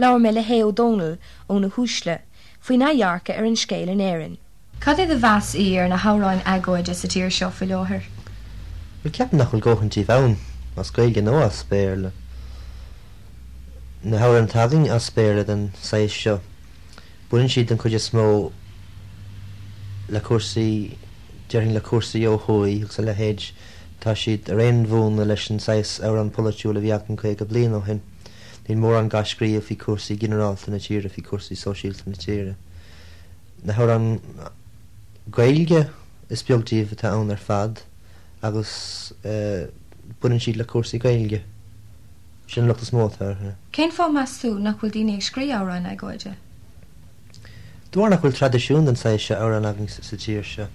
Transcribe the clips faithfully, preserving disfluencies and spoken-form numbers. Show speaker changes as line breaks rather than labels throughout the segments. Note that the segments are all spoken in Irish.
Labhair mé le hAodh Ó Dónaill ó Na hUaisle faoina dhearcadh ar an scéal in Éirinn. Cad é do mheas ar na hamhráin agóide sa tír seo faoi láthair?
Well ceapaim nach bhfuil dóthain díobh ann as Gaeilge nó as Béarla. Na hamhráin atá againn as Béarla den saghas seo. Baineann siad den chuid is mó le cúrsaí déarfainn le cúrsaí ó thuaidh agus a leithéid tá siad ar aon mhúnla leis an saghas amhrán polaitiúil a bhí againn caoga bliain ó shin. Níl mórán á scríobh faoi cúrsaí ginearálta na tíre faoi cúrsaí sóisialta na tíre. Na hamhráin Gaeilge is beag díobh atá ann ar fad agus uh, baineann siad le cúrsaí Gaeilge. Sin locht is mó atá.
Cén fáth meas tú nach bhfuil daoine ag scríobh amhráin agóide?
De bharr nach bhfuil traidisiún den saghas seo amhrán againn sa tír seo.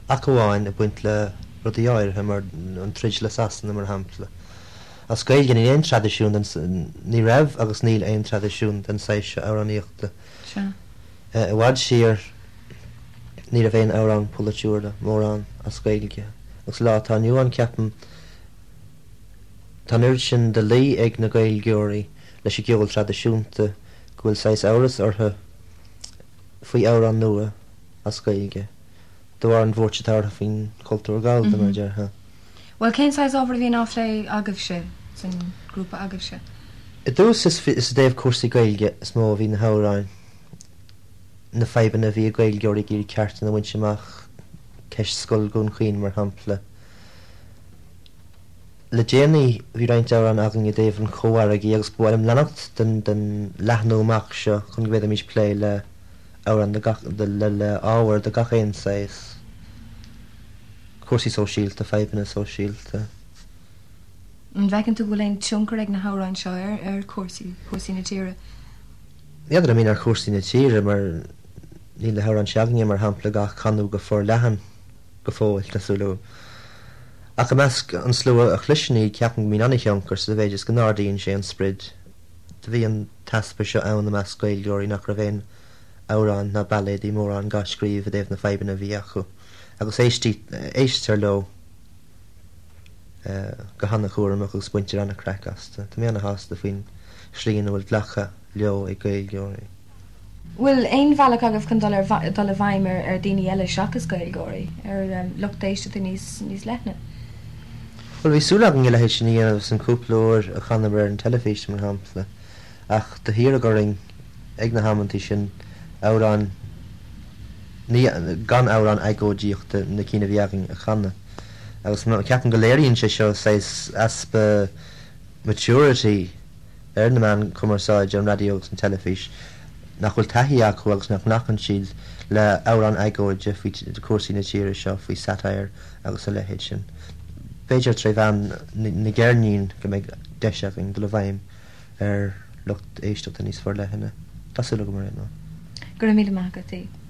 Ach amháin ag baint le rudaí áirithe mar an troid le Sasana mar shampla. As Gaeilge níl aon traidisiún ní raibh agus níl aon traidisiún den saghas seo amhránaíochta. I bhfad siar ní raibh aon amhrán polaitiúil mórán as Gaeilge. Agus lá atá inniu ann ceapaim Tá an sin de luí ag na Gaeilgeoirí leis an gceol traidisiúnta go bhfuil saghas amhras orthu faoi amhrán nua as Gaeilge. De bharr an bhuairt atá faoin cultúr Gallda mar déarfá.
Well cén saghas ábhar a bhíonn á phlé agaibhse san grúpa agaibhse.
I dtús is is i dtaobh cúrsaí Gaeilge is mó a bhí na hamhráin na fadhbanna bhí ag Gaeilgeoirí ag iarraidh cearta a bhaint amach ceist Scoil Dhún Chaoin mar shampla. Le déanaí bhí roinnt amhrán againn i dtaobh an chómhargaidh agus ba mhaith liom leanacht den den leathnú amach seo chun go bhféadfaimis plé le amhrán de le le ábhar de gach aon saghas cúrsaí sóisialta fadhbanna sóisialta.
An bhfeiceann tú bhfuil aon tionchar ag na hamhráin seo ar ar cúrsaí cúrsaí na tíre.
N'fheadar a mín ar chúrsaí na tíre mar níl na hamhráin s'againne mar shampla á gcanadh go forleathan go fóill tásúlú. Ach i measc an slua a chloiseann iad ceapaim go mbíonn an-tionchar sa mhéid is go n-ardaíonn sé an sprid. Do bhí an t-easpa seo ann i measc Gaeilgeoirí nach raibh aon amhrán ná bailéidí mórán á scríobh i dtaobh na fadhbanna a bhí acu, agus éistear leo go han-chúramach agus baintear an-chraic astu. Tá mé an-shásta faoin slí ina bhfuil glactha leo ag Gaeilgeoirí.
Bhfuil aon bhealach agaibh chun dul ar dul i bhfeidhm ar ar daoine eile seachas Gaeilgeoirí ar um, lucht éisteachta níos níos leithne.
Well bhí súil againn a leithéid sin a dhéanamh san cúpla uair a chanamar ar an teilifís mar shampla, ach do hiarradh orainn ag na hamanntaí sin amhrán ní gan amhrán agóidíochta na cinn a bhí againn a chanadh. Agus ceapaim go léiríonn sé seo saghas easpa maturity ar na meáin cumarsáide an raidió agus an teilifís nach bhfuil taithí acu agus nach nglacann siad le amhrán agóide faoi cúrsaí na tíre seo faoi satire agus a leithéid sin. B'fhéidir trí mheán na gceirnín go mbeidh deis againn dul i bhfeidhm ar lucht éisteachta níos forleithne. Tású go mar ná.
Go raibh míle maith agat.